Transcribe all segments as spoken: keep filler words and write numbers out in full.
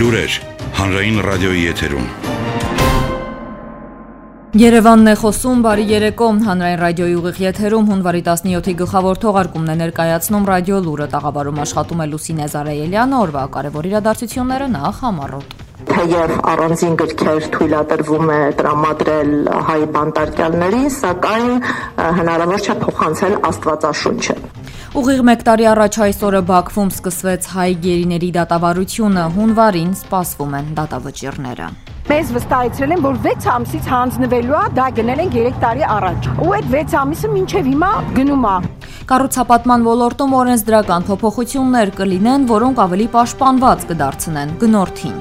Լուրեր հանրային ռադիոյի եթերում։ Երևանն է խոսում, բարի երեկո, հանրային ռադիոյի ուղիղ եթերում հունվարի տասնյոթի գլխավոր թողարկումն է ներկայացնում ռադիո լուրը, տաղավարում աշխատում է Լուսինե Զարայելյանը, օրվա կարևոր իրադարձությունները նախ համառոտ։ Թեև առանձին գրքեր թույլատրվում է տրամադրել հայ բանտարկյալներին, սակայն հնարավոր չէ փոխանցել Աստվածաշունչը։ Ուղիղ մեկ տարի առաջ այսօրը Բաքվում սկսվեց հայ գերիների դատավարությունը, հունվարին սպասվում են դատավճիռները։ Մեզ վստահեցրել են, որ վեց ամսից հանձնվելու է, դա գնել են երեք տարի առաջ։ Ու այդ վեց ամիսը մինչև հիմա գնում է։ Կառուցապատման ոլորտում օրենսդրական փոփոխություններ կլինեն, որոնք ավելի պաշտպանված կդարձնեն գնորդին։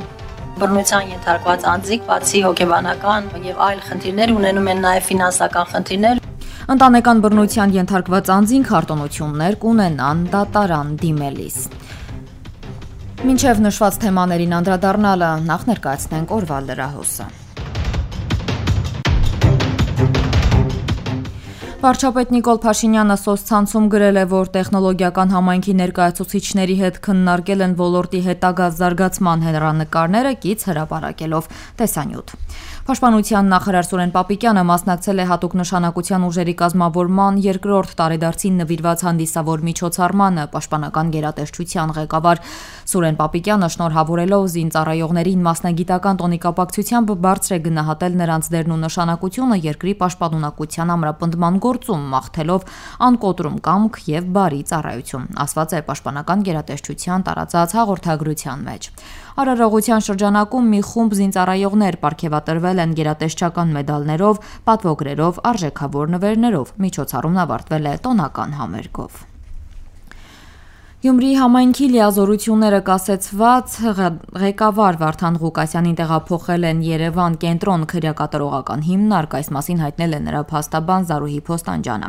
Բռնության ենթարկված անձիկ, բացի հոգեբանական եւ այլ խնդիրներ, ունենում են նաեւ ֆինանսական խնդիրներ։ Ընտանեկան բռնության ենթարկված անձին քարտոնություններ կունենան դատարան դիմելիս։ Մինչև նշված թեմաներին անդրադառնալը նախ ներկայացնենք օրվա լրահոսը։ Վարչապետ Նիկոլ Փաշինյանը սոցցանցում գրել է, որ տեխնոլոգիական համայնքի ներկայացուցիչների հետ քննարկել են ոլորտի հետագա զարգացման հեռանկարները կից հրապարակելով տեսանյութ։ Պաշտպանության նախարար Սուրեն Պապիկյանը մասնակցել է հատուկ նշանակության ուժերի կազմավորման երկրորդ տարեդարձին նվիրված հանդիսավոր միջոցառմանը։ Պաշտպանական գերատեսչության ղեկավար Սուրեն Պապիկյանը շնորհավորելով զինծառայողներին մասնագիտական տոնի կապակցությամբ բարձր է գնահատել նրանց դերն ու նշանակությունը երկրի պաշտպանունակության ամրապնդման գործում, մաղթելով անկոտրում կամք եւ բարի ծառայություն, ասված է Պաշտպանական գերատեսչության տարածած հաղորդագրության մեջ։ Արարողության շրջանակում մի խումբ զինծառայողներ պարգևատրվել են գերատեսչական մեդալներով, պատվոգրերով, արժեքավոր նվերներով։ Միջոցառումն ավարտվել է տոնական համերգով։ Գյումրիի համայնքի լիազորությունները կասեցված ղեկավար Վարդան Ղուկասյանին տեղափոխել են Երևան կենտրոն քրեակատարողական հիմնարկ, այս մասին հայտնել է նրա փաստաբան Զարուհի Փոստանջյանը։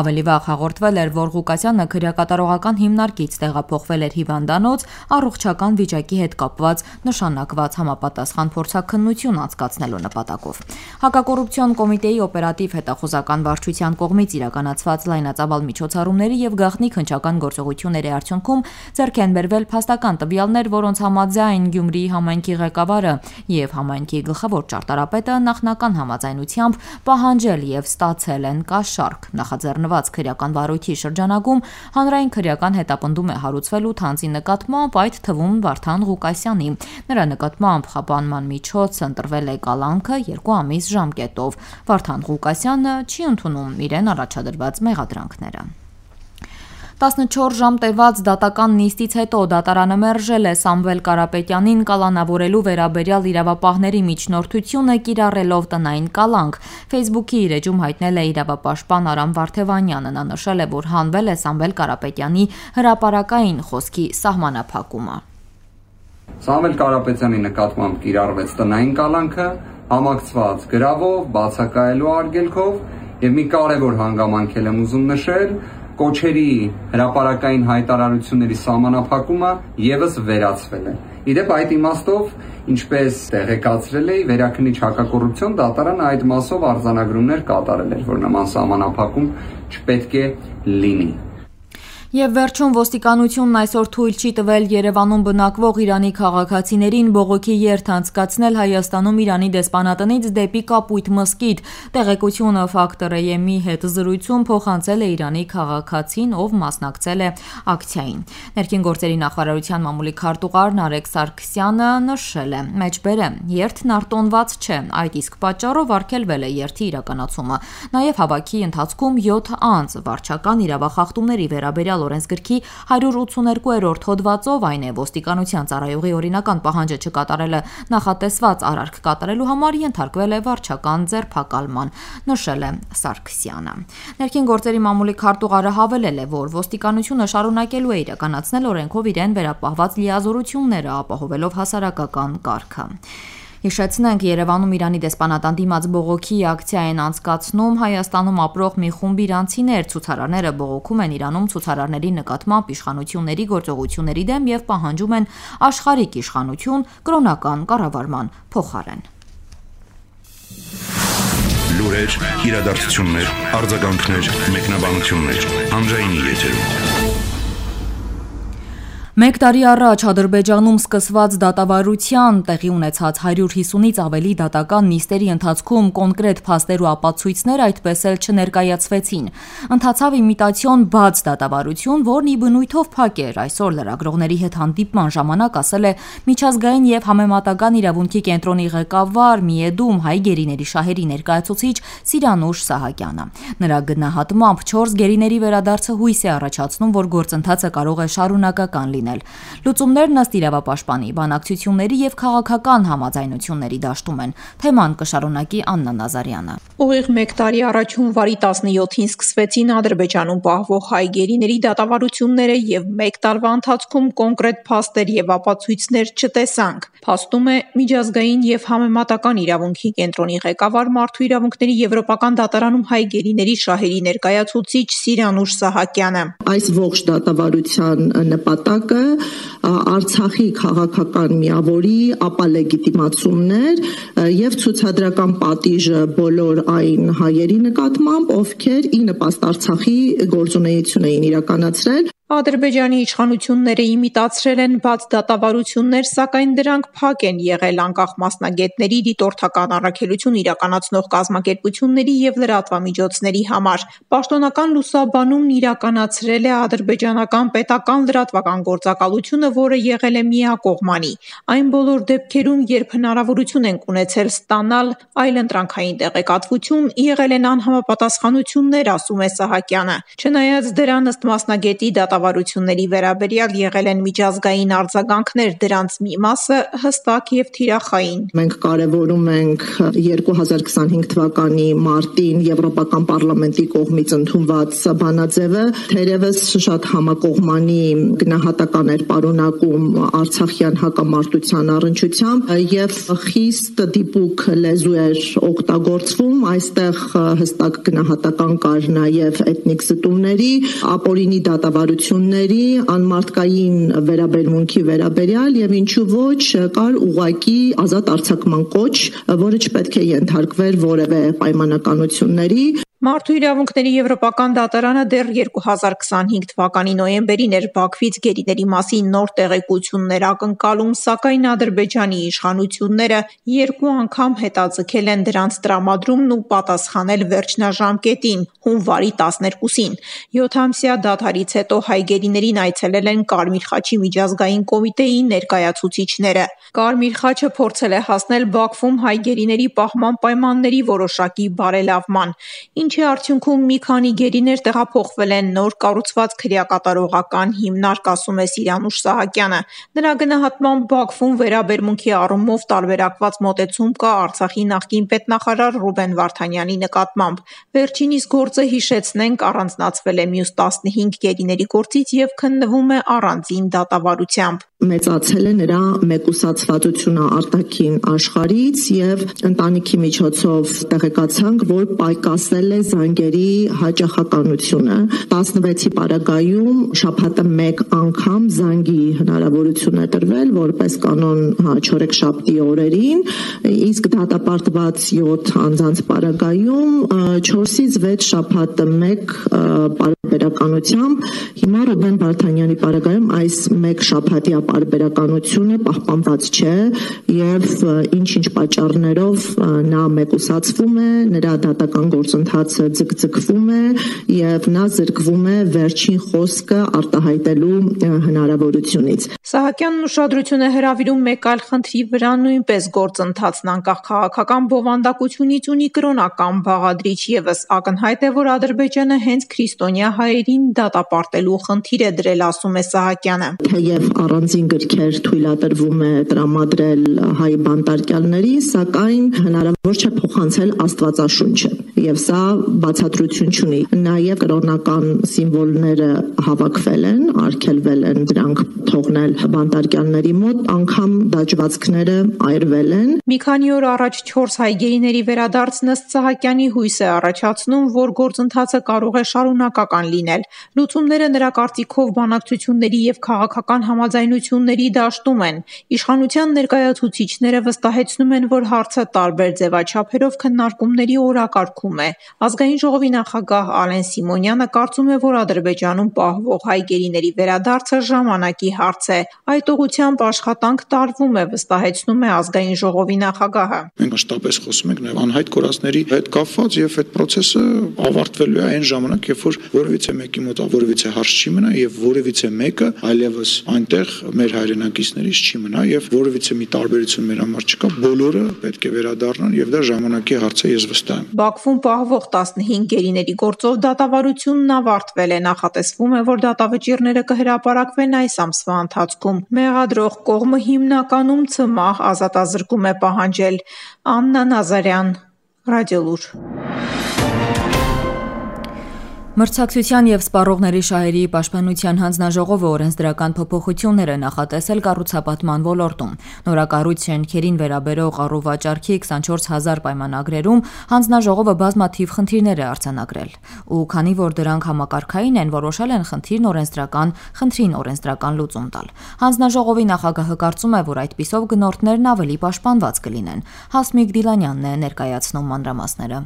Ավելի վաղ հաղորդվել էր, որ Ղուկասյանը քրեակատարողական հիմնարկից տեղափոխվել էր հիվանդանոց առողջական վիճակի հետ կապված նշանակված համապատասխան փորձաքննություն անցկացնելու նպատակով։ Հակակոռուպցիոն կոմիտեի օպերատիվ հետախուզական վարչության կողմից իրականացված լայնածավալ միջոցառումների եւ գաղտնիք հնչական գործողությունների արդյունքում ձեռք են բերվել փաստական տվյալներ, որոնց համաձայն Գյումրիի համայնքի ղեկավարը եւ համայնքի գլխավոր ճարտարապետը նախնական համաձայնությամբ պահանջել եւ ստացել են կաշառք։ Նախաձեռնված քրեական վարույթի շրջանակում հանրային քրեական հետապնդում է հարուցվել ութ անձի նկատմամբ, այդ թվում Վարդան Ղուկասյանի։ Նրա նկատմամբ խափանման միջոց ընտրվել է կալանքը երկու ամիս ժամկետով։ Վարդան Ղուկասյանը չի ընդունում իրեն առաջադրված մեղադրանքները։ տասնչորս ժամ տևած դատական նիստից հետո դատարանը մերժել է Սամվել Կարապետյանին կալանավորելու վերաբերյալ իրավապահների միջնորդությունը կիրառելով տնային կալանք։ Facebook-ի իր էջում հայտնել է իրավապաշտպան Արամ Վարդևանյանը։ Նա նշել է, որ հանվել է Սամվել Կարապետյանի հրապարակային խոսքի սահմանափակումը։ Սամվել Կարապետյանի նկատմամբ կիրառվեց տնային կալանքը, համակցված գրավով, բացակայելու արգելքով եւ մի կարևոր հանգամանք եմ ուզում նշել, կոչերի հրապարակային հայտարարությունների սահմանափակումը եւս վերացվել է։ Իդեպ այդ իմաստով, ինչպես տեղեկացրել էի, վերաքննիչ հակակոռուպցիոն դատարանը այդ մասով արձանագրումներ կատարել էր, որ նման սահմանափակում չպետք է լինի։ Եվ վերջում ոստիկանությունն այսօր թույլ չի տվել Երևանում բնակվող Իրանի քաղաքացիներին բողոքի երթ անցկացնել Հայաստանում Իրանի դեսպանատնից դեպի Կապույտ մզկիթ։ Տեղեկությունը Ֆակտոր-ի հետ զրույցում փոխանցել է Իրանի քաղաքացին, ով մասնակցել է ակցիային։ Ներքին գործերի նախարարության մամուլի քարտուղար Նարեկ Սարգսյանը նշել է. «Մեջբերը երթն արտոնված չէ, այդ իսկ պատճառով արգելվել է երթի իրականացումը։ Նաև հավաքի ընթացքում յոթ անձ վարչական իրավախախտումների վերաբերյալ օրենսգրքի հարյուր ութսուներկուերորդ հոդվածով, այն է ոստիկանության ծառայողի օրինական պահանջը չկատարելը նախատեսված արարք կատարելու համար ենթարկվել է վարչական ձերբակալման», նշել է Սարգսյանը։ Ներքին գործերի մամուլի քարտուղարը հավելել է, որ ոստիկանությունը շարունակելու է իրականացնել օրենքով իրեն վերապահված լիազորությունները, ապահովելով հասարակական կարգը։ Հիշեցնենք, Երևանում Իրանի դեսպանատան դիմաց բողոքի ակցիա են անցկացնում Հայաստանում ապրող մի խումբ իրանցիներ։ Ցուցարարները բողոքում են Իրանում ցուցարարների նկատմամբ իշխանությունների գործողությունների դեմ եւ պահանջում են աշխարհիկ իշխանություն կրոնական կառավարման փոխարեն։ Լուրեր, իրադարձություններ, արձագանքներ, մեկնաբանություններ, հանրայինի եթերում։ Մեկ տարի առաջ Ադրբեջանում սկսված դատավարության տեղի ունեցած հարյուր հիսունից ավելի դատական նիստերի ընթացքում կոնկրետ փաստեր ու ապացույցներ այդպես էլ չներկայացվեցին։ Ընթացավ իմիտացիոն բաց դատավարություն, որն ի բնույթով փակ էր։ Այսօր լրագրողների հետ հանդիպման ժամանակ ասել է Միջազգային եւ համեմատական իրավունքի կենտրոնի ղեկավար Միեդում հայ գերիների շահերի ներկայացուցիչ Սիրանուշ Սահակյանը։ Նրա գնահատմամբ չորս գերիների վերադարձը հույս է առաջացնում, որ գործընթացը կարող է շարունակական լինել։ Լուծումներն ըստ իրավապաշտպանի բանակցությունների եւ քաղաքական համաձայնությունների դաշտում են։ Թեման կշարունակի Աննա Նազարյանը։ Ուղիղ մեկ տարի առաջ հունվարի տասնյոթին սկսվեցին Ադրբեջանում պահվող հայ գերիների դատավարությունները եւ մեկ տարվա ընթացքում կոնկրետ փաստեր եւ ապացույցներ չտեսանք։ Փաստում է Միջազգային եւ համեմատական իրավունքի կենտրոնի ղեկավար Մարդու իրավունքների եվրոպական դատարանում հայ գերիների շահերի ներկայացուցիչ Սիրանուշ Սահակյանը։ Այս ողջ դատավարության նպատակը Արցախի քաղաքական միավորի ապալեգիտիմացումներ եւ ցուցադրական պատիժը բոլոր այն հայերի նկատմամբ, ովքեր ի նպաստ Արցախի գործունեություն էին իրականացրել։ Ադրբեջանի իշխանությունները իմիտացրել են բաց դատավարություններ, սակայն դրանք փակ են եղել անկախ մասնագետների, դիտորդական առաքելություն իրականացնող կազմակերպությունների եւ լրատվամիջոցների համար։ Պաշտոնական լուսաբանումն իրականացրել է ադրբեջանական պետական լրատվական գործակալությունը, որը եղել է միակողմանի։ Այն բոլոր դեպքերում, երբ հնարավորություն են ունեցել ստանալ այլընտրանքային տեղեկատվություն, եղել են անհամապատասխանություններ, ասում է Սահակյանը։ Չնայած դրան, ըստ մասնագետի, դատավարությունների վերաբերյալ եղել են միջազգային արձագանքներ, դրանց մի մասը հստակ եւ թիրախային։ Մենք կարևորում ենք երկու հազար քսանհինգ թվականի մարտին Եվրոպական պարլամենտի կողմից ընդունված բանաձևը, թերևս շատ համակողմանի գնահատական էր պարունակում արցախյան հակամարտության առնչությամբ եւ խիստ դիպուկ լեզու էր օգտագործվում, այստեղ հստակ գնահատական կար նաեւ էթնիկ զտումների, ապօրինի դատավարությունների, անմարդկային վերաբերմունքի վերաբերյալ եւ ինչու ոչ կար ուղղակի ազատ արձակման կոչ, որը չպետք է ենթարկվեր որևէ պայմանականությունների։ Մարդու իրավունքների եվրոպական դատարանը դեռ երկու հազար քսանհինգ թվականի նոյեմբերին էր Բաքվից գերիների մասին նոր տեղեկություններ ակնկալում, սակայն Ադրբեջանի իշխանությունները երկու անգամ հետաձգել են դրանց տրամադրումն ու պատասխանել վերջնաժամկետին՝ հունվարի տասներկուսին։ Յոթամսյա դադարից հետո հայ գերիներին այցելել են Կարմիր խաչի միջազգային կոմիտեի ներկայացուցիչները։ Կարմիր խաչը փորձել է հասնել Բաքվում հայ գերիների պահման պայմանների որոշակի բարելավման, ինչի արդյունքում մի քանի գերիներ տեղափոխվել են նոր կառուցված քրեակատարողական հիմնարկ, ասում է Սիրանուշ Սահակյանը։ Նրա գնահատմամբ Բաքվում վերաբերմունքի առումով տարբերակված մոտեցում կա Արցախի նախկին պետնախարար Ռուբեն Վարդանյանի նկատմամբ։ Վերջինիս գործը հիշեցնենք առանձնացվել է մյուս տասնհինգ գերիների գործից եւ քննվում է առանձին դատավարությամբ։ Մեծացել է նրա մեկուսացվածությունը արտաքին աշխարհից եւ ընտանիքի միջոցով տեղեկացանք, որ պայքասել է զանգերի հաճախականությունը։ տասնվեցի պարագայում շաբաթը մեկ անգամ զանգի հնարավորություն է տրվել, որպես կանոն չորեքշաբթի օրերին, իսկ դատապարտված յոթ անձանց պարագայում չորսից վեց շաբաթը մեկ պարբերականությամբ։ Հիմա Ռուբեն Վարդանյանի պարագայում այս մեկ շաբաթյա պարբերականությունը պահպանված չէ եւ ինչ-ինչ պատճառներով նա մեկուսացվում է, նրա դատական գործընթացը ձգձգվում է եւ նա զրկվում է վերջին խոսքը արտահայտելու հնարավորությունից։ Սահակյանն ուշադրություն է հրավիրում մեկ այլ խնդրի վրա, նույնպես գործընթացն անկախ քաղաքական բովանդակությունից ունի կրոնական բաղադրիչ եւս։ Ակնհայտ է, որ Ադրբեջանը հենց քրիստոնյա հայերին դատապարտելու խնդիր է դրել, ասում է Սահակյանը։ Թեև առանձին գրքեր թույլատրվում է տրամադրել հայ բանտարկյալներին, սակայն հնարավոր չէ փոխանցել Աստվածաշունչը եւ սա բացատրություն չունի։ Նաեւ կրոնական սիմվոլները հավաքվել են, արգելվել են դրանք թողնել բանտարկյալների մոտ, անգամ դաջվածքները այրվել են։ Մի քանի օր առաջ չորս հայ գերիների վերադարձն ըստ Սահակյանի հույս է առաջացնում, որ գործընթացը կարող է շարունակական լինել։ Լուծումները նրա կարծիքով բանակցությունների եւ քաղաքական համաձայնությունների դաշտում են։ Իշխանության ներկայացուցիչները վստահեցնում են, որ հարցը տարբեր ձևաչափերով քննարկումների օրակարգում հղում է։ Ազգային ժողովի նախագահ Ալեն Սիմոնյանը կարծում է, որ Ադրբեջանում պահվող հայ գերիների վերադարձը ժամանակի հարց է։ Այդ ուղղությամբ աշխատանք տարվում է, վստահեցնում է ազգային ժողովի նախագահը։ Մենք մշտապես խոսում ենք նաև անհայտ կորածների հետ կապված եւ այդ process-ը ավարտվելու է այն ժամանակ, երբ որ որևիցե մեկի մոտ որևիցե հարց չի մնա եւ որևիցե մեկը այլևս այնտեղ մեր հայրենակիցներից չի մնա եւ որևիցե մի տարբերություն մեր համար չկա, բոլորը պետք է վերադառնան եւ դա ժամանակի հարց է, ես վստահ եմ։ Բաքվում պահվող տասնհինգ գերիների գործով դատավարությունն ավարտվել է, նախատեսվում է, որ դատավճիռները կհրապարակվեն այս ամսվա ընթացքում։ Մեղադրող կողմը հիմնականում ցմահ ազատազրկում է պահանջել։ Աննա Նազարյան, Ռադիոլուր։ Մրցակցության եւ սպառողների շահերի պաշտպանության հանձնաժողովը օրենսդրական փոփոխություններ է նախատեսել կառուցապատման ոլորտում։ Նորակառույց շենքերին վերաբերող առուվաճառքի քսանչորս հազար պայմանագրերում հանձնաժողովը բազմաթիվ խնդիրներ է արձանագրել։ Ու քանի որ դրանք համակարգային են, որոշել են խնդիրն օրենսդրական, խնդրին օրենսդրական լուծում տալ։ Հանձնաժողովի նախագահը կարծում է, որ այդպիսով գնորդներն ավելի պաշտպանված կլինեն։ Հասմիկ Դիլանյանն է ներկայացնում մանրամասները։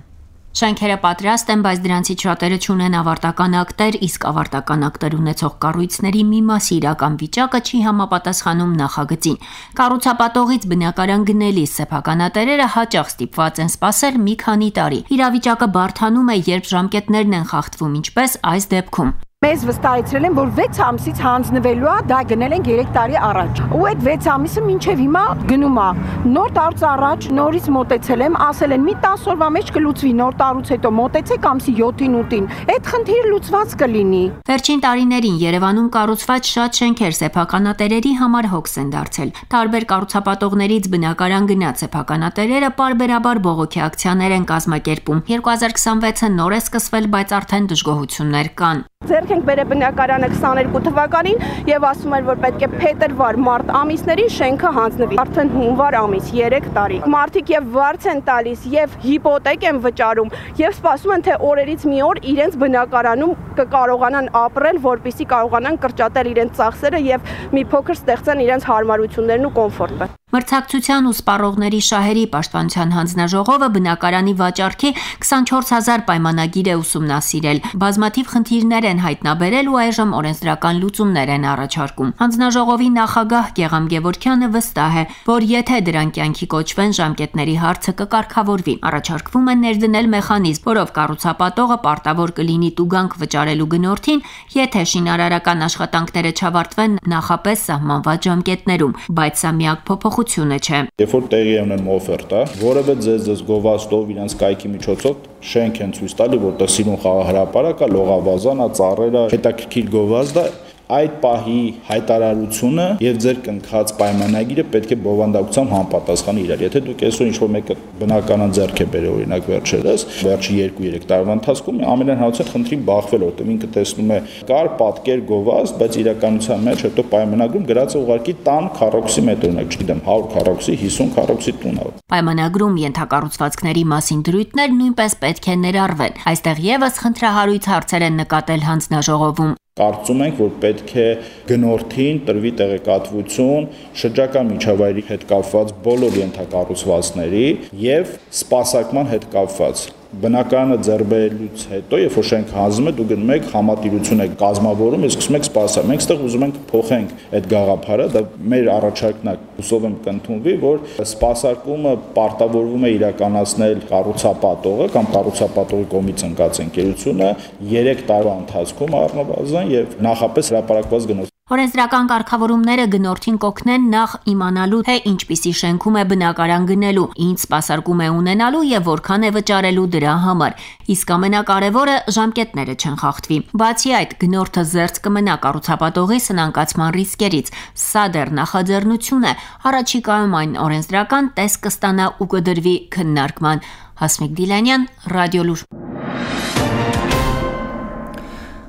Շենքերը պատրաստ են, բայց դրանցից շատերը չունեն ավարտական ակտեր, իսկ ավարտական ակտեր ունեցող կառույցների մի մասի իրական վիճակը չի համապատասխանում նախագծին։ Կառուցապատողից բնակարան գնելիս սեփականատերերը հաճախ ստիպված են սպասել մի քանի տարի։ Իրավիճակը բարդանում է, երբ ժամկետներն են խախտվում, ինչպես այս դեպքում։ Մեզ վստահեցրել են, որ վեց ամսից հանձնվելու է, դա գնել են երեք տարի առաջ։ Ու այդ վեց ամիսը մինչև հիմա գնում է։ Նոր տարուց առաջ նորից մոտեցել եմ, ասել են մի տասը օրվա մեջ կլուծվի, նոր տարուց հետո մոտեցեք ամսի յոթին ութին։ Այդ խնդիրը լուծված կլինի։ Վերջին տարիներին Երևանում կառուցված շատ շենքեր սեփականատերերի համար հոգս են դարձել։ Տարբեր կառուցապատողներից բնակարան գնաց սեփականատերերը պարբերաբար բողոքի ակցիաներ են կազմակերպում։ երկու հազար քսանվեցը նոր է սկսվել, բայց արդեն դժգոհություններ կան։ Ձեռք ենք բերել բնակարանը քսաներկու թվականին եւ ասում են, որ պետք է փետրվար, մարտ ամիսներին շենքը հանձնվի։ Արդեն հունվար ամիս, երեք տարի։ Մարդիկ եւ վարձ են տալիս եւ հիպոթեք են վճարում եւ սպասում են, թե օրերից մի օր իրենց բնակարանում կկարողանան ապրել, որպեսզի կարողանան կրճատել իրենց ծախսերը եւ մի փոքր ստեղծեն իրենց հարմարություններն ու կոմֆորտը։ Մրցակցության ու սպառողների շահերի պաշտպանության հանձնաժողովը բնակարանի վաճառքի քսանչորս հազար պայմանագիր է ուսումնասիրել։ Բազմաթիվ խնդիրներ են հայտնաբերել ու այժմ օրենսդրական լուծումներ են առաջարկում։ Հանձնաժողովի նախագահ Գեգամ Գևորգյանը վստահ է, որ եթե դրանք կյանքի կոչվեն, ժամկետների հարցը կկարգավորվի։ Առաջարկվում է ներդնել մեխանիզմ, որով կառուցապատողը պարտավոր կլինի տուգանք վճարելու գնորդին, եթե շինարարական աշխատանքները չավարտվեն նախապես սահմանված ժամկետներում, բայց սա միակ փոփոխությունը չէ։ Երբ որ տեղի է ունենում օֆերտա, որևէ ձեզ գովաստով իրանց կայքի միջոցով շենք են ցույց տալի, որտեղ սիրուն խաղահրապարակա, լողավազանա, ծառերը, հետաքրքիր գովազդ է, այդ պահի հայտարարությունը եւ ձեր կնքած պայմանագիրը պետք է բովանդակությամբ համապատասխանի իրար։ Եթե դուք այսօր ինչ-որ մեկը բնականon ձեռք է բերել, օրինակ վերջերս, վերջի երկու-երեք տարվա ընթացքում ամենահանրության խնդրին բախվել, որտեղ ինքը տեսնում է կար պատկեր գովազդ, բայց իրականության մեջ հետո պայմանագրում գրած է ուղղակի տան քառակուսի մետր, օրինակ, չգիտեմ, հարյուր քառակուսի, հիսուն քառակուսի տուն է։ Պայմանագրում ենթակառուցվածքների մասին դրույթներ նույնպես պետք է ներառվեն։ Այստեղ եւս խնդրահարույց հարցեր են նկատել հանձնաժողովում։ Կարծում ենք, որ պետք է գնորդին տրվի տեղեկատվություն շրջակա միջավայրի հետ կապված բոլոր ենթակառուցվածքների եւ սպասարկման հետ կապված։ Բնակարանը ձեռբերելուց հետո, երբ որ շենք հանձնում է, դուք գնում եք համատիրություն եք կազմավորում, իսկ սկսում եք սպասել։ Մենք այստեղ ուզում ենք փոխենք այդ գաղափարը, դա մեր առաջարկն է, հուսով եմ կընդունվի, որ սպասարկումը պարտավորվում է իրականացնել կառուցապատողը կամ կառուցապատողի կողմից ընկած ընկերությունը երեք տարվա ընթացքում առնվազն եւ նախապես հրապարակված գնորդ։ Օրենսդրական կարգավորումները գնորդին կօգնեն նախ իմանալու, թե ինչպիսի շենքում է բնակարան գնելու, ինչ սպասարկում է ունենալու եւ որքան է վճարելու դրա համար։ Իսկ ամենակարևորը ժամկետները չեն խախտվի։ Բացի այդ, գնորդը զերծ կմնա կառուցապատողի սնանկացման ռիսկերից։ Սա դեռ նախաձեռնություն է։ Առաջիկայում այն օրենսդրական տեսք կստանա ու կդրվի քննարկման։ Հասմիկ Դիլանյան, Ռադիոլուր։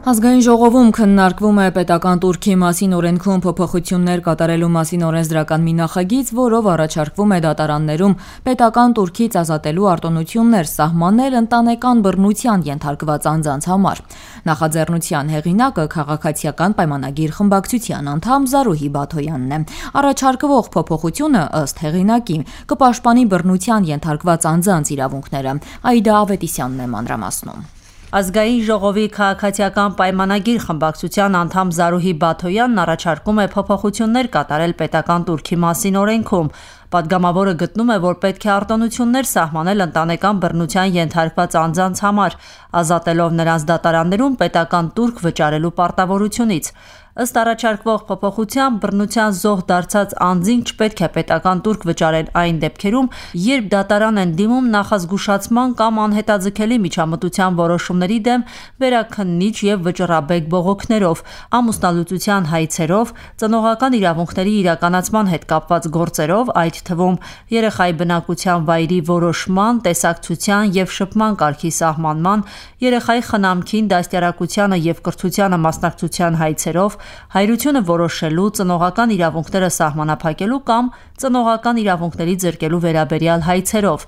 Ազգային ժողովում քննարկվում է պետական տուրքի մասին օրենքում փոփոխություններ կատարելու մասին օրենսդրական մի նախագիծ, որով առաջարկվում է դատարաններում պետական տուրքից ազատելու արտոնություններ սահմանել ընտանեկան բռնության ենթարկված անձանց համար։ Նախաձեռնության հեղինակը քաղաքացիական պայմանագիր խմբակցության անդամ Զարուհի Բաթոյանն է։ Առաջարկվող փոփոխությունը ըստ հեղինակի կպաշտպանի բռնության ենթարկված անձանց իրավունքները։ Այդա Ավետիսյանն է մանրամասնում։ Ազգային ժողովի քաղաքացիական պայմանագիր խմբակցության անդամ Զարուհի Բաթոյանն առաջարկում է փոփոխություններ կատարել պետական տուրքի մասին օրենքում։ Պատգամավորը գտնում է, որ պետք է արտոնություններ սահմանել ընտանեկան բռնության ենթարկված անձանց համար, ազատելով նրանց դատարաններում պետական տուրք վճարելու պարտավորությունից։ Ըստ առաջարկվող փոփոխության բռնության զոհ դարձած անձին չպետք է պետական տուրք վճարել այն դեպքերում, երբ դատարան են դիմում նախազգուշացման կամ անհետաձգելի միջամտության որոշումների դեմ վերաքննիչ եւ վճռաբեկ բողոքներով, ամուսնալուծության հայցերով, ծնողական իրավունքների իրականացման հետ կապված գործերով, այդ թվում երեխայի բնակության վայրի որոշման, տեսակցության եւ շփման կարգի սահմանման, երեխայի խնամքին, դաստիարակությանը եւ կրթությանը մասնակցության հայցերով, հայրությունը որոշելու, ծնողական իրավունքները սահմանափակելու կամ ծնողական իրավունքների զրկելու վերաբերյալ հայցերով։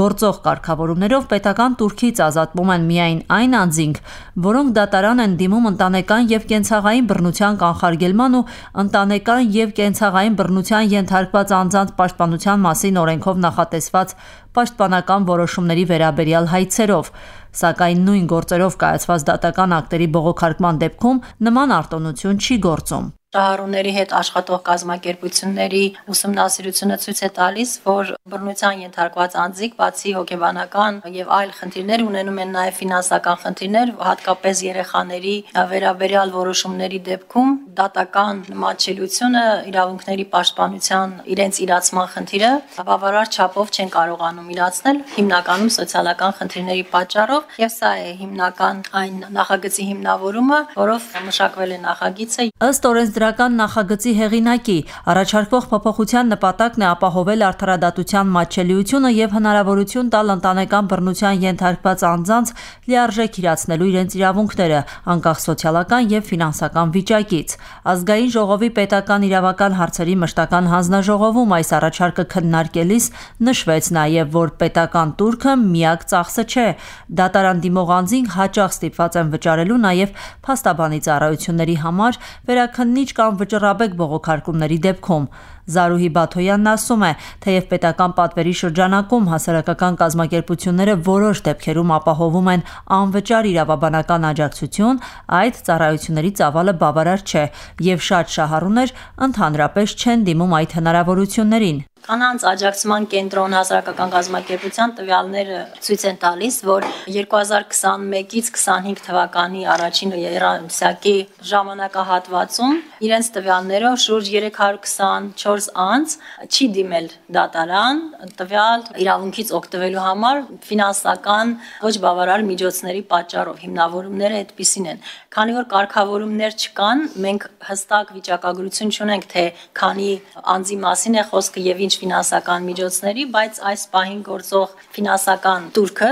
Գործող կարգավորումներով պետական տուրքից ազատվում են միայն այն անձինք, որոնք դատարան են դիմում ընտանեկան եւ կենցաղային բռնության կանխարգելման ու ընտանեկան եւ կենցաղային բռնության ենթարկված անձանց պաշտպանության մասին օրենքով նախատեսված պաշտպանական որոշումների վերաբերյալ հայցերով։ Սակայն նույն գործերով կայացված դատական ակտերի բողոքարկման դեպքում նման արտոնություն չի գործում։ Շահառուների հետ աշխատող կազմակերպությունների ուսումնասիրությունը ցույց է տալիս, որ բռնության ենթարկված անձիկ բացի հոգեբանական եւ այլ խնդիրներ ունենում են նաեւ ֆինանսական խնդիրներ, հատկապես երեխաների վերաբերյալ որոշումների դեպքում դատական մատչելիությունը, իրավունքների պաշտպանության իրենց իրացման խնդիրը բավարար չափով չեն կարողանում իրացնել, հիմնականում սոցիալական խնդիրների պատճառով, եւ սա է հիմնական այն նախագծի հիմնավորումը, որով մշակվել է նախագիծը։ Ըստ օրենսդրական նախագծի հեղինակի, առաջարկվող փոփոխության նպատակն է ապահովել արդարադատության մատչելիությունը եւ հնարավորություն տալ ընտանեկան բռնության ենթարկված անձանց լիարժեք իրացնելու իրենց իրավունքները, անկախ սոցիալական եւ ֆինանսական վիճակից։ Ազգային ժողովի պետական իրավական հարցերի մշտական հանձնաժողովում այս առաջարկը քննարկելիս նշվեց նաեւ, որ պետական տուրքը միակ ծախսը չէ։ Դատարան դիմող անձին հաճախ ստիպված են վճարելու նաեւ փաստաբանի ծառայությունների համար, վերաքննիչ կամ վճռաբեկ բողոքարկումների դեպքում։ Զարուհի Բաթոյանն ասում է, թեև պետական պատվերի շրջանակում հասարակական կազմակերպությունները որոշ դեպքերում ապահովում են անվճար իրավաբանական աջակցություն, այդ ծառայությունների ծավալը բավարար չէ եւ շատ շահառուներ ընդհանրապես չեն դիմում այդ հնարավորություններին։ Կանանց աջակցման կենտրոն հասարակական կազմակերպության տվյալները ցույց են տալիս, որ երկու հազար քսանմեկից քսանհինգ թվականի առաջին երամսյակի ժամանակահատվածում իրենց տվյալներով շուրջ երեք հարյուր քսանչորս անձ չի դիմել դատարան տվյալ իրավունքից օգտվելու համար ֆինանսական ոչ բավարար միջոցների պատճառով։ Հիմնավորումները այդպիսին են։ Քանի որ կարգավորումներ չկան, մենք հստակ վիճակագրություն չունենք, թե քանի անձի մասին է խոսքը եւ ինչ ֆինանսական միջոցների, բայց այս պահին գործող ֆինանսական տուրքը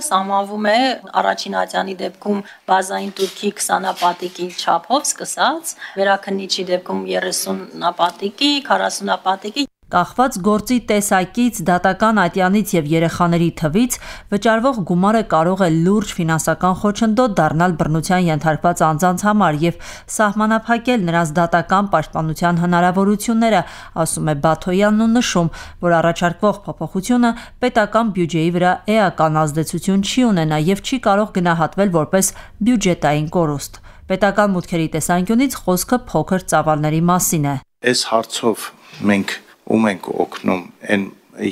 սահմանվում է առաջին ատյանի դեպքում բազային տուրքի քսանապատիկի չափով սկսած, վերաքննիչի դեպքում երեսունապատիկի, քառասունապատիկի Կախված գործի տեսակից, դատական ատյանից եւ երեխաների թվից վճարվող գումարը կարող է լուրջ ֆինանսական խոչընդոտ դառնալ բռնության ենթարկված անձանց համար եւ սահմանափակել նրանց դատական պաշտպանության հնարավորությունները, ասում է Բաթոյանն ու նշում, որ առաջարկվող փոփոխությունը պետական բյուջեի վրա էական ազդեցություն չի ունենա եւ չի կարող գնահատվել որպես բյուջետային կորուստ։ Պետական մուտքերի տեսանկյունից խոսքը փոքր ծավալների մասին է։ Այս հարցով մենք ում ենք օգնում այն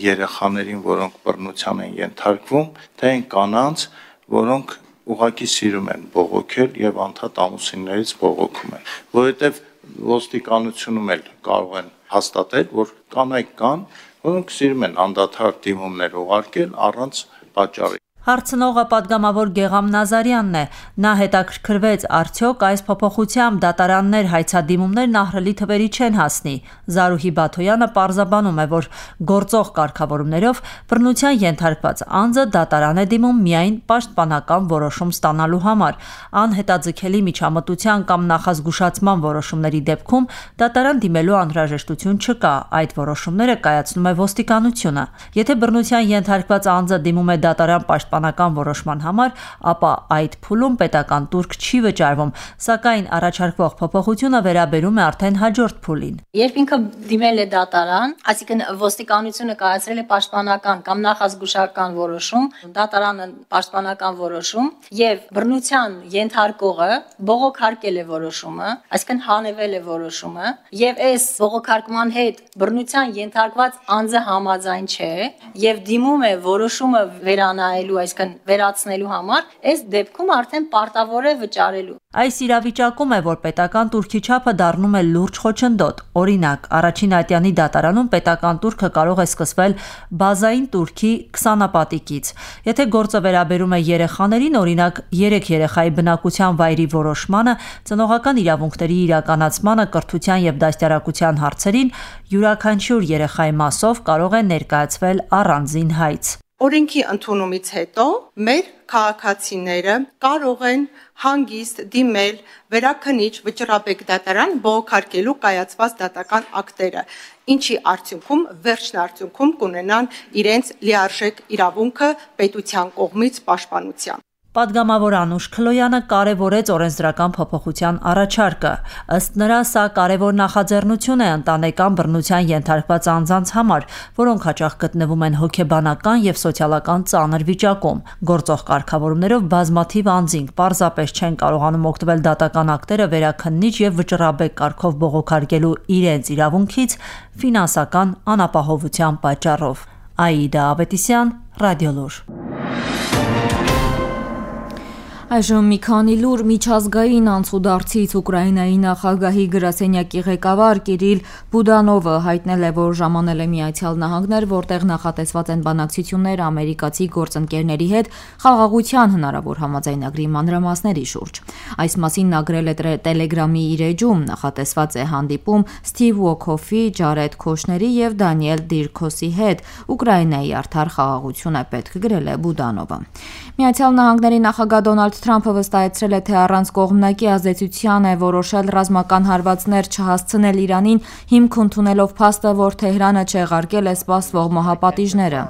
երեխաներին, որոնք բռնության են ենթարկվում, թե այն կանանց, որոնք ուղղակի սիրում են բողոքել եւ անդադ ամուսիններից բողոքում են, որովհետեւ ոստիկանությունում էլ կարող են հաստատել, որ կանայք կան, որոնք սիրում են անդադար դիմումներ ուղարկել առանց պատճառի։ Հարցնողը պատգամավոր Գեգամ Նազարյանն է։ Նա հետաքրքրվեց, արդյոք այս փոփոխությամբ դատարաններ հայցադիմումներն ահռելի թվերի չեն հասնի։ Զարուհի Բաթոյանը պարզաբանում է, որ գործող կարգավորումներով բռնության ենթարկված անձը դատարան է դիմում միայն պաշտպանական որոշում ստանալու համար։ Անհետաձգելի միջամտության կամ նախազգուշացման որոշումների դեպքում դատարան դիմելու անհրաժեշտություն չկա, այդ որոշումները կայացնում է ոստիկանությունը։ Եթե բռնության ենթարկված անձը դիմում է դատարան պաշտպանական որոշման համար, ապա այդ փուլում պետական տուրք չի վճարվում, սակայն առաջարկվող փոփոխությունը վերաբերում է արդեն հաջորդ փուլին։ Երբ ինքը դիմել է դատարան, այսինքն ոստիկանությունը կայացրել է պաշտպանական կամ նախազգուշական որոշում, դատարանը պաշտպանական որոշում եւ բռնության ենթարկողը բողոքարկել է որոշումը, այսինքն հանևել է որոշումը եւ այս բողոքարկման հետ բռնության ենթարկված անձը համաձայն չէ եւ դիմում է որոշումը վերանայելու, այսինքն վերացնելու համար, այս դեպքում արդեն պարտավոր է վճարելու։ Այս իրավիճակում է, որ պետական տուրքի չափը դառնում է լուրջ խոչընդոտ։ Օրինակ, առաջին ատյանի դատարանում պետական տուրքը կարող է սկսվել բազային տուրքի քսանապատիկից։ Եթե գործը վերաբերում է երեխաներին, օրինակ երեք երեխայի բնակության վայրի որոշմանը, ծնողական իրավունքների իրականացմանը, կրթության եւ դաստիարակության հարցերին, յուրաքանչյուր երեխայի մասով կարող է ներկայացվել առանձին հայց։ Օրենքի ընդունումից հետո մեր քաղաքացիները կարող են հանգիստ դիմել վերաքննիչ վճռաբեկ դատարան բողոքարկելու կայացված դատական ակտերը, ինչի արդյունքում վերջնարդյունքում կունենան իրենց լիարժեք իրավունքը պետության կողմից պաշտպանության։ Պատգամավոր Անուշ Քլոյանը կարևորեց օրենսդրական փոփոխության առաջարկը։ Ըստ նրա, սա կարևոր նախաձեռնություն է ընտանեկան բռնության ենթարկված անձանց համար, որոնք հաճախ գտնվում են հոգեբանական եւ սոցիալական ծանր վիճակում։ Գործող կարգավորումներով բազմաթիվ անձինք պարզապես չեն կարողանում օգտվել դատական ակտերը վերաքննիչ եւ վճռաբեկ կարգով բողոքարկելու իրենց իրավունքից ֆինանսական անապահովության պատճառով։ Աիդա Ավետիսյան, Ռադիոլուր։ Այժմ մի քանի լուր միջազգային անցուդարձից Ուկրաինայի նախագահի գրասենյակի ղեկավար Կիրիլ Բուդանովը հայտնել է, որ ժամանել է Միացյալ Նահանգներ, որտեղ նախատեսված են բանակցություններ ամերիկացի գործընկերների հետ խաղաղության հնարավոր համաձայնագրի մանրամասների շուրջ։ Այս մասին նա գրել է Տելեգրամի իր էջում, նախատեսված է հանդիպում Սթիվ Ուոքոֆի, Ջարեդ Քոշների եւ Դանիել Դիրքոսի հետ։ Ուկրաինայի արդար խաղաղություն է պետք, գրել է Բուդանովը։ Միացյալ Նահանգների նախագահ Դոնալդ Թրամփը վստահեցրել է, թե առանց կողմնակի ազդեցության է որոշել ռազմական հարվածներ չհասցնել Իրանին, հիմք ընդունելով փաստը, որ Թեհրանը չեղարկել է սպասվող մահապատիժները։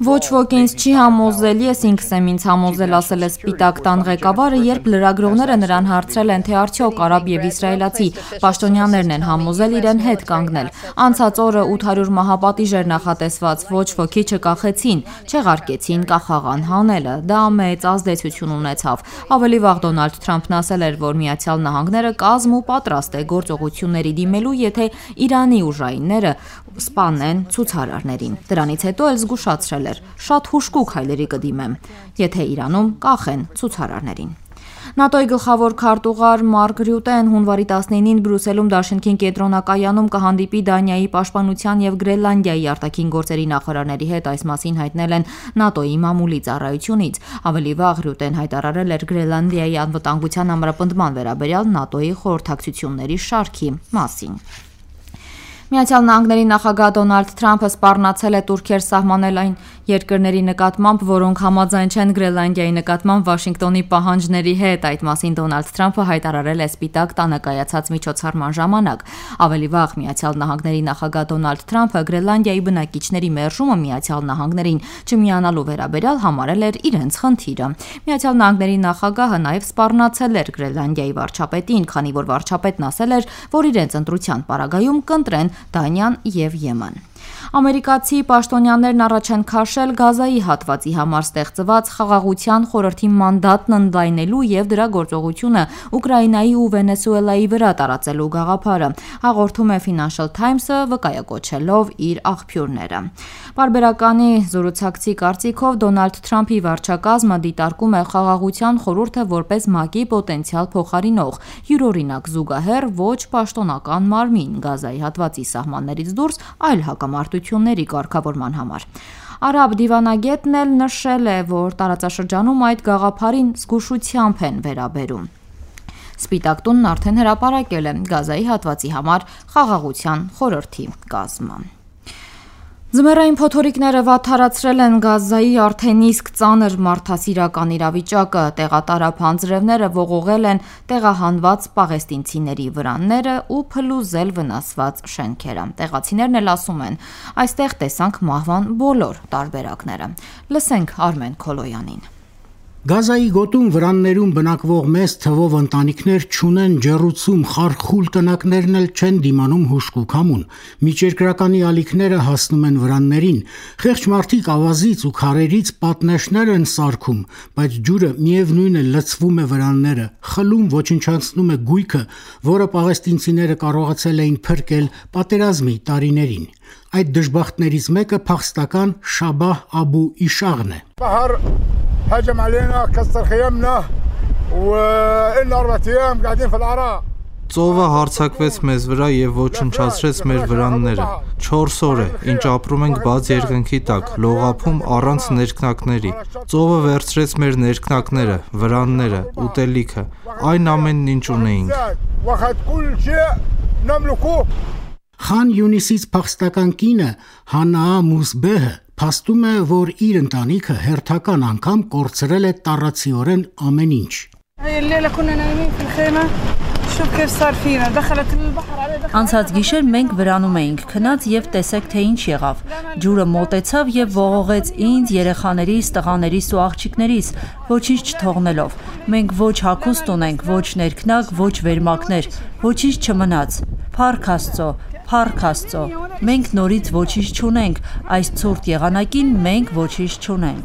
Ոչ ոք ինձ չի համոզել, ես ինքս եմ ինձ համոզել, ասել է Սպիտակ տան ղեկավարը, երբ լրագրողները նրան հարցրել են, թե արդյոք արաբ եւ իսրայելացի պաշտոնյաներն են համոզել իրեն հետ կանգնել։ Անցած օրը ութ հարյուր մահապատիժ էր նախատեսված, ոչ ոքի չկախեցին, չեղարկեցին կախաղան հանելը, դա մեծ ազդեցություն ունեցավ։ Ավելի վաղ Դոնալդ Թրամփն ասել էր, որ Միացյալ Նահանգները կազմ ու պատրաստ է գործողությունների դիմելու, եթե Իրանի ուժայինները սպանեն ցուցարարներին։ Դրանից հետո էլ զգուշացրել էր. շատ հուժկու քայլերի կդիմեմ, եթե Իրանում կախեն ցուցարարներին։ ՆԱՏՕ-ի գլխավոր քարտուղար Մարկ Ռյուտեն հունվարի տասնինին Բրյուսելում Դաշնքին կենտրոնակայանում կհանդիպի Դանիայի պաշտպանության եւ Գրենլանդիայի արտաքին գործերի նախարարների հետ, այս մասին հայտնել են ՆԱՏՕ-ի մամուլի ծառայությունից։ Ավելի վաղ Ռյուտեն հայտարարել էր Գրենլանդիայի անվտանգության ամրապնդման վերաբերյալ ՆԱՏՕ-ի խորհրդակցությունների շարքի մասին։ Միացյալ Նահանգների նախագահ Դոնալդ Թրամփը սպառնացել է Թուրքիեր սահմանել այն երկրների նկատմամբ, որոնք համաձայն չեն Գրենլանդիայի նկատմամբ Վաշինգտոնի պահանջների հետ։ Այդ մասին Դոնալդ Թրամփը հայտարարել է Սպիտակ տանը կայացած միջոցառման ժամանակ։ Ավելի վաղ Միացյալ Նահանգների նախագահ Դոնալդ Թրամփը Գրենլանդիայի բնակիչների մերժումը Միացյալ Նահանգներին չմիանալու վերաբերյալ համարել էր իրենց խնդիրը։ Միացյալ Նահանգների նախագահը նաև սպառնացել էր Գրենլանդիայի վարչապետին, քանի որ վարչապետն ասել էր, որ իրենց ընտրության պարագայում կընտրեն Դանիան եւ Եմեն։ Ամերիկացի պաշտոնյաներն առաջ են քաշել Գազայի հատվածի համար ստեղծված խաղաղության խորհրդի մանդատն ընդլայնելու եւ դրա գործողությունը Ուկրաինայի ու Վենեսուելայի վրա տարածելու գաղափարը, հաղորդում է Financial Times-ը, վկայակոչելով իր աղբյուրները։ Պարբերականի զորուցակցի կարծիքով Դոնալդ Թրամփի վարչակազմը դիտարկում է խաղաղության խորհուրդը որպես ՄԱԿ-ի պոտենցիալ փոխարինող, յուրօրինակ զուգահեռ ոչ պաշտոնական մարմին Գազայի հատվածի սահմաններից դուրս այլ հակամարտ դժբախտությունների կարգավորման համար։ Արաբ դիվանագետն էլ նշել է, որ տարածաշրջանում այդ գաղափարին զգուշությամբ են վերաբերում։ Սպիտակ տունն արդեն հրապարակել է Գազայի հատվածի համար խաղաղության խորհրդի կազմը։ Ձմեռային փոթորիկները վատթարացրել են Գազայի արդեն իսկ ծանր մարդասիրական իրավիճակը, տեղատարափ անձրևները ողողել են տեղահանված պաղեստինցիների վրանները ու փլուզել վնասված շենքերը։ Տեղացիներն էլ ասում են, այստեղ տեսանք մահվան բոլոր տարբերակները։ Լսենք Արմեն Քոլոյանին։ Գազայի գոտում վրաններում բնակվող մեծ թվով ընտանիքներ չունեն ջեռուցում, խարխուլ տնակներն էլ չեն դիմանում հուժկ ու քամուն։ Միջերկրականի ալիքները հասնում են վրաններին, խեղճ մարդիկ ավազից ու քարերից պատնեշներ են սարքում, բայց ջուրը միևնույն է լցվում է վրանները, խլում, ոչնչացնում է գույքը, որը պաղեստինցիները կարողացել էին փրկել պատերազմի տարիներին։ Այդ դժբախտներից մեկը փախստական Շաբահ Աբու Իշաղն է։ هجم علينا كسر خيامنا وإن أربعة أيام قاعدين في العراء Ծովը հարձակվեց մեզ վրա եւ ոչնչացրեց մեր վրանները։ չորս օր է, ինչ ապրում ենք բաց երկնքի տակ, լողափում առանց ներքնակների։ Ծովը վերցրեց մեր ներքնակները, վրանները, ուտելիքը, այն ամենն ինչ ունեինք։ Խան Յունիսից փախստական կինը Հանա Մուսբեհը փաստում է, որ իր ընտանիքը հերթական անգամ կորցրել է տառացիորեն ամեն ինչ։ Անցած գիշեր մենք վրանում էինք, քնած եւ տեսեք թե ինչ եղավ։ Ջուրը մոտեցավ եւ ողողեց ինձ, երեխաներիս, տղաներիս ու աղջիկներիս, ոչինչ չթողնելով։ Մենք ոչ հագուստ ունենք, ոչ ներքնակ, ոչ վերմակներ, ոչինչ չմնաց։ Փառք Աստծո, Փառք Աստծո, մենք նորից ոչինչ չունենք, այս ցուրտ եղանակին մենք ոչինչ չունենք։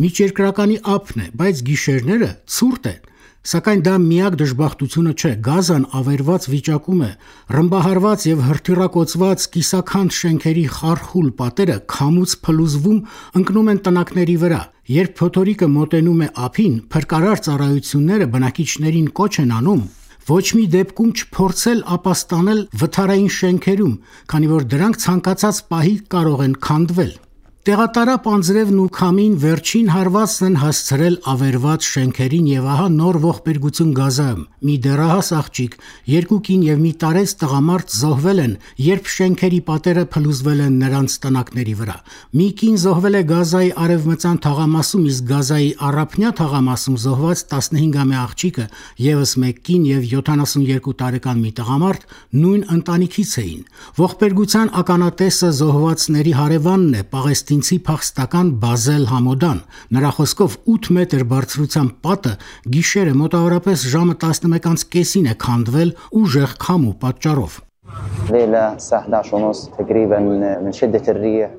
Միջերկրականի ափն է, բայց գիշերները ցուրտ են, սակայն դա միակ դժբախտությունը չէ, Գազան ավերված վիճակում է, ռմբահարված եւ հրթիռակոծված կիսաքանդ շենքերի խարխուլ պատերը քամուց փլուզվում ընկնում են տնակների վրա, երբ փոթորիկը մոտենում է ափին, փրկարար ծառայությունները բնակիչներին կոչ են անում ոչ մի դեպքում չփորձել ապաստանել վթարային շենքերում, քանի որ դրանք ցանկացած պահի կարող են քանդվել։ Տեղատարապ անձրևն ու քամին վերջին հարվածն են հասցրել ավերված շենքերին եւ ահա նոր ողբերգություն Գազայում։ Մի դեռահաս աղջիկ, երկու կին եւ մի տարեց տղամարդ զոհվել են, երբ շենքերի պատերը փլուզվել են նրանց տնակների վրա։ Մի կին զոհվել է Գազայի արևմտյան թաղամասում, իսկ Գազայի առափնյա թաղամասում զոհված տասնհինգամյա աղջիկը եւս մեկ կին եւ յոթանասունյոթ տարեկան մի տղամարդ նույն ընտանիքից էին։ Ողբերգության ականատեսը զոհվածների հարևանն է, պաղեստինցի փախստական Բազել Համոդան։ Նրա խոսքով ութ մետր բարձրության պատը գիշերը մոտավորապես ժամը տասնմեկ անց կեսին է քանդվել ուժեղ քամու պատճառով։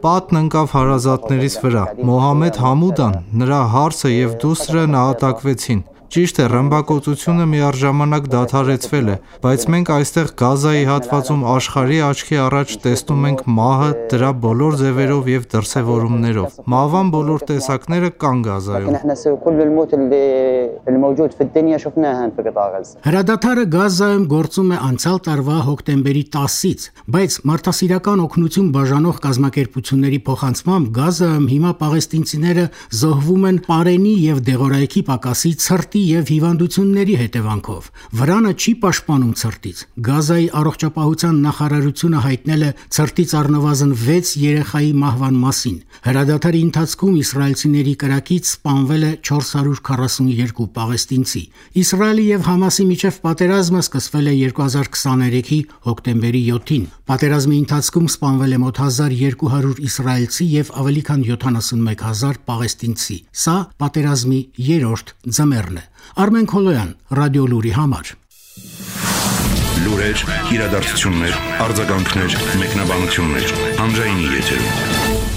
Պատն ընկավ հարազատներիս վրա։ Մոհամեդ Համուդան, նրա հարսը եւ դուստրը նահատակվեցին։ Ճիշտ է, ռմբակոծությունը միառժամանակ դադարեցվել է, բայց մենք այստեղ Գազայի հատվածում աշխարհի աչքի առաջ տեսնում ենք մահը դրա բոլոր ձևերով եւ դրսեւորումներով։ Մահվան բոլոր տեսակները կան Գազայում։ Հրադադարը Գազայում գործում է անցյալ տարվա հոկտեմբերի տասից, բայց մարդասիրական օգնություն բաժանող կազմակերպությունների փոխանցմամբ Գազայում հիմա պաղեստինցիները զոհվում են պարենի եւ դեղորայքի պակասի, ցրտի եւ հիվանդությունների հետևանքով։ Վրանը չի պաշտպանում ցրտից։ Գազայի առողջապահության նախարարությունը հայտնել է ցրտից առնվազն վեց երեխայի մահվան մասին։ Հրադադարի ընթացքում իսրայելցիների կրակից սպանվել է չորս հարյուր քառասունյոթ պաղեստինցի։ Իսրայելի եւ Համասի միջև պատերազմը սկսվել է երկու հազար քսաներեքի հոկտեմբերի յոթին։ Պատերազմի ընթացքում սպանվել է մոտ հազար երկու հարյուր իսրայելցի եւ ավելի քան յոթանասունմեկ հազար պաղեստինցի։ Սա պատերազմի երրորդ ձմեռն է։ Արմեն Քոլոյան, Ռադիո Լուրի համար։ Լուրեր, իրադարձություններ, արձագանքներ, մեկնաբանություններ, հանրայինի եթերում։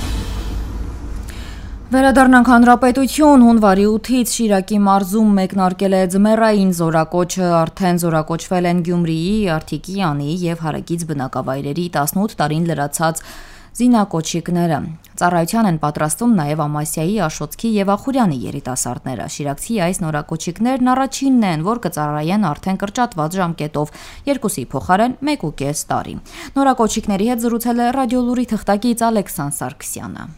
Վերադառնանք հանրապետություն, հունվարի ութից Շիրակի մարզում մեկնարկել է ձմեռային զորակոչը, արդեն զորակոչվել են Գյումրիի, Արթիկի, Անի եւ հարակից բնակավայրերի տասնութ տարին լրացած Զինակոչիկները ծառայության են պատրաստում նաև Ամասիայի, Աշոտքի եւ Ախուրյանի երիտասարդները։ Շիրակցի այս նորակոչիկներն առաջինն են, որ կծառայեն արդեն կրճատված ժամկետով, երկուսի փոխարեն մեկ ու կես տարի։ Նորակոչիկների հետ զրուցել է Ռադիոլուրի թղթակից Ալեքսան Սարգսյանը։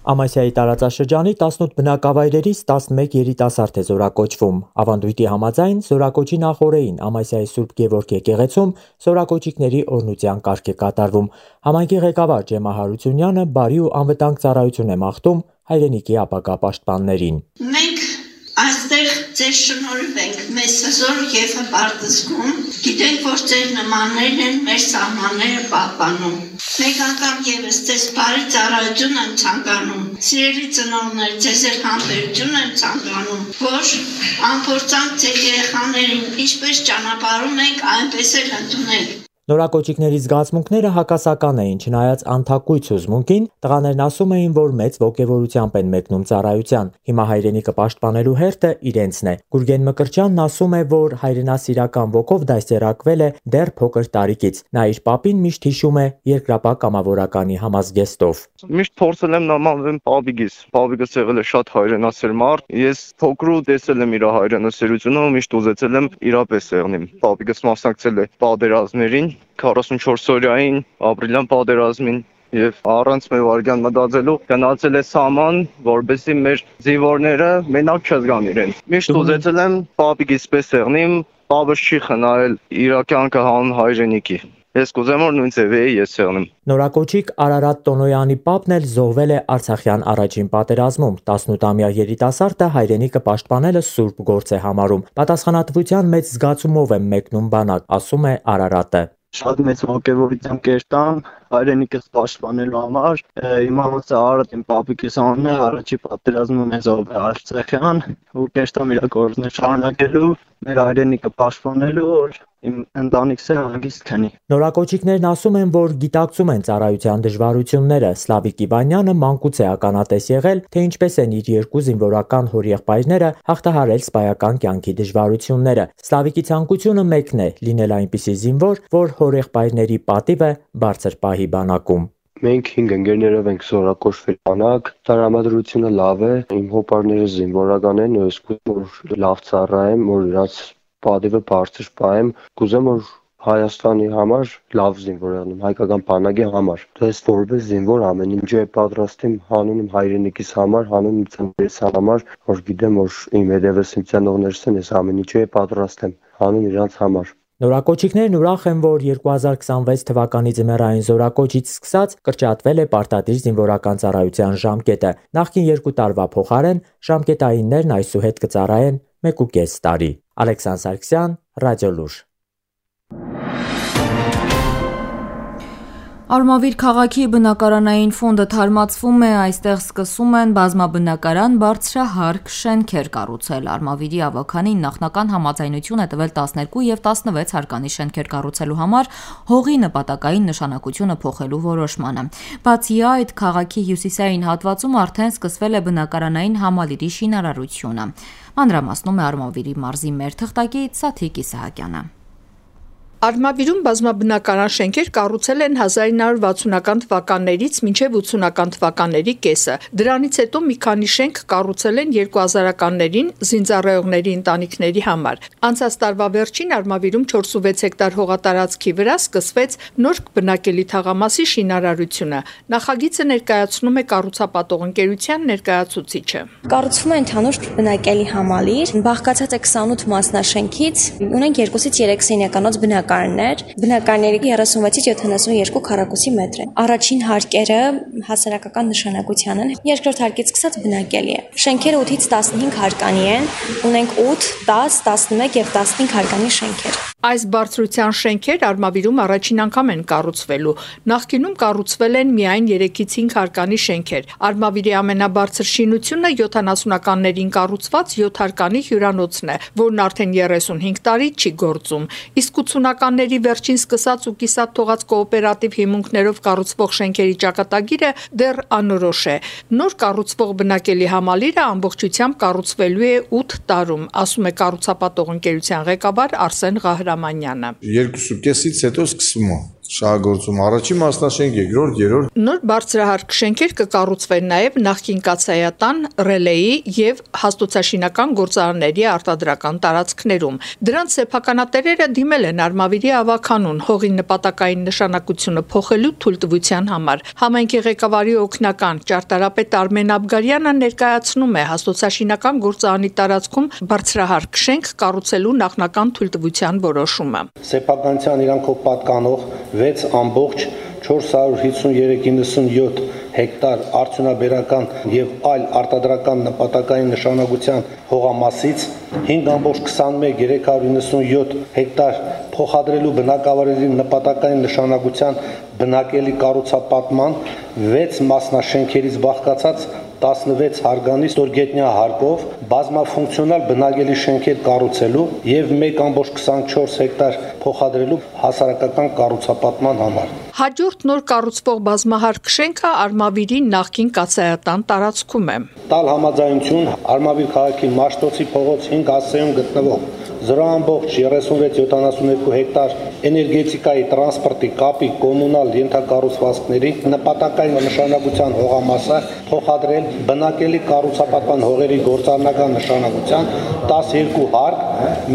Ամասիայի տարածաշրջանի տասնութ բնակավայրերից տասնմեկ երիտասարդ է զորակոչվում։ Ավանդույթի համաձայն զորակոչի նախօրեին Ամասիայի Սուրբ Գևորգ եկեղեցում զորակոչիկների օրհնության կարգ է կատարվում։ Համայնքի ղեկավար Ջեմա Հարությունյանը բարի ու անվտանգ ծառայություն է մաղթում հայրենիքի ապագա պաշտպաններին։ Մենք այստեղ ձեզ շնորհվենք մեծ հզոր եւ հպարտացում։ Գիտենք, որ ձեր նմաններն են մեր սահմանները պահպանում։ Մեկ անգամ եւս ձեզ բարի ծառայություն եմ ցանկանում։ Սիրելի ծնողներ, ձեզ էլ համբերություն եմ ցանկանում, որ անփորձանք ձեր երեխաներին ինչպես ճանապարհում եք, այնպես էլ ընդունեք։ Նորակոչիկների զգացմունքները հակասական էին, չնայած անթակույց հուզմունքին, տղաներն ասում էին, որ մեծ ոգևորությամբ են մեկնում ծառայության։ Հիմա հայրենիքը պաշտպանելու հերթը իրենցն է։ Գուրգեն Մկրտչյանն ասում է, որ հայրենասիրական ոգով դաստիարակվել է դեռ փոքր տարիքից։ Նա իր պապին միշտ հիշում է երկրապահ կամավորականի համազգեստով։ Միշտ փորձել եմ նմանվել պապիկիս։ Պապիկս եղել է շատ հայրենասեր մարդ։ Ես փոքրու տեսել եմ իր հայրենասերությունը ու միշտ ուզեցել եմ իրապես եղնեմ։ Պապիկս մասնակցել է պատերազմներին, քառասունչորս օրյային ապրիլյան պատերազմին եւ առանց մեր վարյան մտածելու գնացել է սաման, որբեսի մեր զինվորները մենակ չզգան իրեն։ Միշտ ուզեցել եմ պապիկիս պես եղնեմ, պապս չի խնայել իր կյանքը հանուն հայրենիքի։ Ես կուզեմ որ նույն ձևի ես եղնեմ։ Նորակոչիկ Արարատ Տոնոյանի պապն էլ զոհվել է Արցախյան առաջին պատերազմում։ տասնութամյա երիտասարդը հայրենիքը պաշտպանելը սուրբ գործ է համարում։ Պատասխանատվության մեծ զգացումով եմ մեկնում բանակ, ասում է Արարատը։ Շատ մեծ ոգևորությամբ կերտամ հայրենիքս պաշտպանելու համար։ Հիմա ոնց է Արարատ իմ պապիկիս անունն է, առաջի պատերազմում է զոհվել Արցախյան ու կերտամ իր գործը շարունակելու, մեր հայրենիքը պաշտպանելու, որ իմ ընտանիքս է հանգիստ քնի։ Նորակոչիկներն ասում են, որ գիտակցում են ծառայության դժվարությունները։ Սլավիկ Իվանյանը մանկուց է ականատես եղել, թե ինչպես են իր երկու զինվորական հորեղբայրները հաղթահարել սպայական կյանքի դժվարությունները։ Սլավիկի ցանկությունը մեկն է՝ լինել այնպիսի զինվոր, որ հորեղբայրների պատիվը բարձր պահի բանակում։ Մենք հինգ ընկերներով ենք զորակոչվել բանակ, տրամադրությունը լավ է, իմ հոպարները զինվորական են, ես կուզեմ որ լավ ծառայեմ, որ իրաց պատիվը բարձր պահեմ, կուզեմ որ Հայաստանի համար լավ զինվոր եղնեմ, հայկական բանակի համար։ Ես որպես զինվոր ամեն ինչ է պատրաստեմ հանուն իմ հայրենիքիս համար, հանուն իմ ծնողներիս համար, որ գիտեմ որ իմ հետևս իմ ծնողներս են, ես ամեն ինչ է պատրաստեմ հանուն իրանց համար։ Նորակոչիկներն ուրախ են, որ երկու հազար քսանվեց թվականի ձմեռային զորակոչից սկսած կրճատվել է պարտադիր զինվորական ծառայության ժամկետը։ Նախկին երկու տարվա փոխարեն ժամկետայիններն այսուհետ կծառայեն մեկ ու կես տարի։ Ալեքսան Սարգսյան, Ռադիոլուր։ Արմավիր քաղաքի բնակարանային ֆոնդը թարմացվում է, այստեղ սկսում են բազմաբնակարան բարձրահարկ շենքեր կառուցել։ Արմավիրի ավականին նախնական համաձայնություն է տվել տասներկու եւ տասնվեց հարկանի շենքեր կառուցելու համար հողի նպատակային նշանակությունը փոխելու որոշմանը։ Բացի այդ, քաղաքի հյուսիսային հատվածում արդեն սկսվել է բնակարանային համալիրի շինարարությունը։ Մանրամասնում է Արմավիրի մարզի մեր թղթակից Սաթիկ Իսահակյանը։ Արմավիրում բազմաբնակարան շենքեր կառուցել են հազար ինը հարյուր վաթսունական թվականներից մինչև ութսունական թվականների կեսը։ Դրանից հետո մի քանի շենք կառուցել են երկու հազարականներին զինծառայողների ընտանիքների համար։ Անցած տարվա վերջին Արմավիրում չորսունվեց հեկտար հողատարածքի վրա սկսվեց նոր բնակելի թաղամասի շինարարությունը։ Նախագիծը ներկայացնում է կառուցապատող ընկերության ներկայացուցիչը։ Կառուցվում է ընդհանուր բնակելի համալիր, բաղկացած է քսանութ մասնաշենքից, ունենք երկուսից երեք սենյականոց բնակարան Բնակարների երեսունվեցից յոթանասունյոթ քառակուսի մետր է։ Առաջին հարկերը հասարակական նշանակության են, երկրորդ հարկից սկսած բնակելի է։ Շենքերը ութից տասնհինգ հարկանի են, ունենք ութ, տաս, տասնմեկ եւ տասնհինգ հարկանի շենքեր։ Այս բարձրության շենքեր Արմավիրում առաջին անգամ են կառուցվելու։ Նախկինում կառուցվել են միայն երեքից հինգ հարկանի շենքեր։ Արմավիրի ամենաբարձր շինությունը յոթանասունականներին կառուցված յոթ հարկանի հյուրանոցն է, որն արդեն երեսունհինգ տարի չի գործում։ Իսկ ութսունականների վերջին սկսած ու կիսատ թողած կոոպերատիվ հիմունքներով կառուցվող շենքերի ճակատագիրը դեռ անորոշ է։ Նոր կառուցվող բնակելի համալիրը ամբողջությամբ կառուցվելու է ութ տարում, ասում է կառուցապատող ընկերության ղեկավար Արսեն Ղահրամանյանը։ Երկուսու կեսից հետո սկսվում է շահագործում։ Առաջին մասնաշենք, երկրորդ, երրորդ։ Նոր բարձրահարկ շենքեր կկառուցվեն նաև նախկին կաթսայատան, ռելեի եւ հաստոցաշինական գործարանների արտադրական տարածքներում։ Դրանց սեփականատերերը դիմել են Արմավիրի ավականուն հողի նպատակային նշանակությունը փոխելու թույլտվության համար։ Համայնքի ղեկավարի օգնական ճարտարապետ Արմեն Աբգարյանը ներկայացնում է հաստոցաշինական գործարանի տարածքում բարձրահարկ շենք կառուցելու նախնական թույլտվության որոշումը։ Սեփականության իրանքով պատկանող վեց ամբողջ չորս հարյուր հիսունյոթ իննսունյոթ հեկտար արդյունաբերական եւ այլ արտադրական նպատակային նշանակության հողամասից հինգ ամբողջ քսանմեկ հազար երեք հարյուր իննսունյոթ հեկտար փոխադրելու բնակավայրերի նպատակային նշանակության բնակելի կառուցապատման վեց մասնաշենքերից բաղկացած տասնվեց հարգանի ստորգետնյա հարկով բազմաֆունկցիոնալ բնակելի շենքեր կառուցելու եւ մեկ ամբողջ քսանչորս հեկտար փոխադրելու հասարակական կառուցապատման համար։ Հաջորդ նոր կառուցվող բազմահարկ շենքը Արմավիրի նախկին կաթսայատան տարածքում է։ Տալ համաձայնություն Արմավիր քաղաքի Մաշտոցի փողոց հինգ հասցեում գտնվող զրո ամբողջ երեսունվեց յոթանասունյոթ հեկտար էներգետիկայի, տրանսպորտի, կապի, կոմունալ ենթակառուցվածքների նպատակային նշանակության հողամասը փոխադրել բնակելի կառուցապատման հողերի գործառնական նշանակության տասնյոթ հարկ,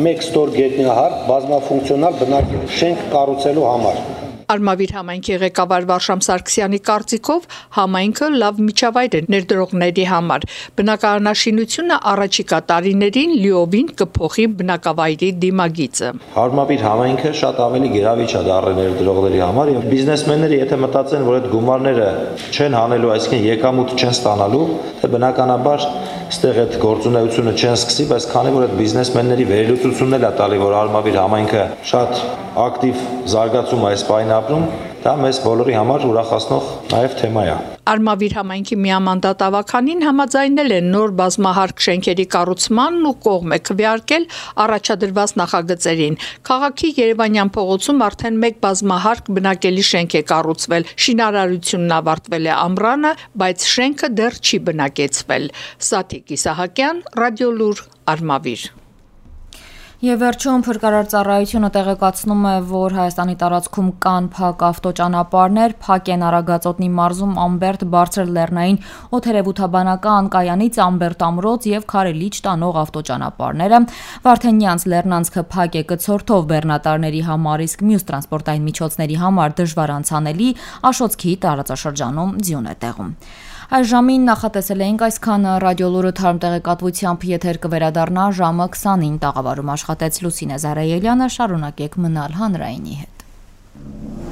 մեկ ստորգետնյա հարկ բազմաֆունկցիոնալ բնակելի շենք կառուցելու համար։ Արմավիր համայնքի ղեկավար Վարշամ Սարգսյանի կարծիքով համայնքը լավ միջավայր է ներդրողների համար։ Բնակարանաշինությունը առաջիկա տարիներին լիովին կփոխի բնակավայրի դիմագիծը։ Արմավիր համայնքը շատ ավելի գերավիճ է դառել ներդրողների համար եւ բիզնեսմենները եթե մտածեն, որ այդ գումարները չեն հանելու, այսինքն եկամուտ չեն ստանալու, թե բնականաբար այստեղ այդ գործունեությունը չեն սկսի, բայց քանի որ այդ բիզնեսմենների վերլուծությունն էլ է տալի, որ Արմավիր համայնքը շատ ակտիվ զարգացում այս պայն ապրում, դա մեզ բոլորի համար ուրախացնող նաև թեմա է։ Արմավիր համայնքի միամանդատ ավականին համաձայնել են նոր բազմահարկ շենքերի կառուցմանն ու կողմ է քվեարկել առաջադրված նախագծերին։ Քաղաքի Երևանյան փողոցում արդեն մեկ բազմահարկ բնակելի շենք է կառուցվել։ Շինարարությունն ավարտվել է ամռանը, բայց շենքը դեռ չի բնակեցվել։ Սաթիկ Իսահակյան, Ռադիոլուր, Արմավիր։ Եվ վերջում փրկարար ծառայությունը տեղեկացնում է, որ Հայաստանի տարածքում կան փակ ավտոճանապարհներ, փակ են Արագածոտնի մարզում Ամբերտ բարձր լեռնային օդերևութաբանական կայանից Ամբերտ ամրոց եւ Քարելիչ տանող ավտոճանապարհները, Վարդենյանց լեռնանցքը փակ է կցորդով բեռնատարների համար, իսկ մյուս տրանսպորտային միջոցների համար դժվար անցանելի, Աշոտսքի տարածաշրջանում ձյուն է տեղում։ Այս ժամին նախատեսել էինք այսքանը, Ռադիոլուրը թարմ տեղեկատվությամբ եթեր կվերադառնա ժամը քսանին, տաղավարում աշխատեց Լուսինե Զարայելյանը, շարունակեք մնալ հանրայինի հետ։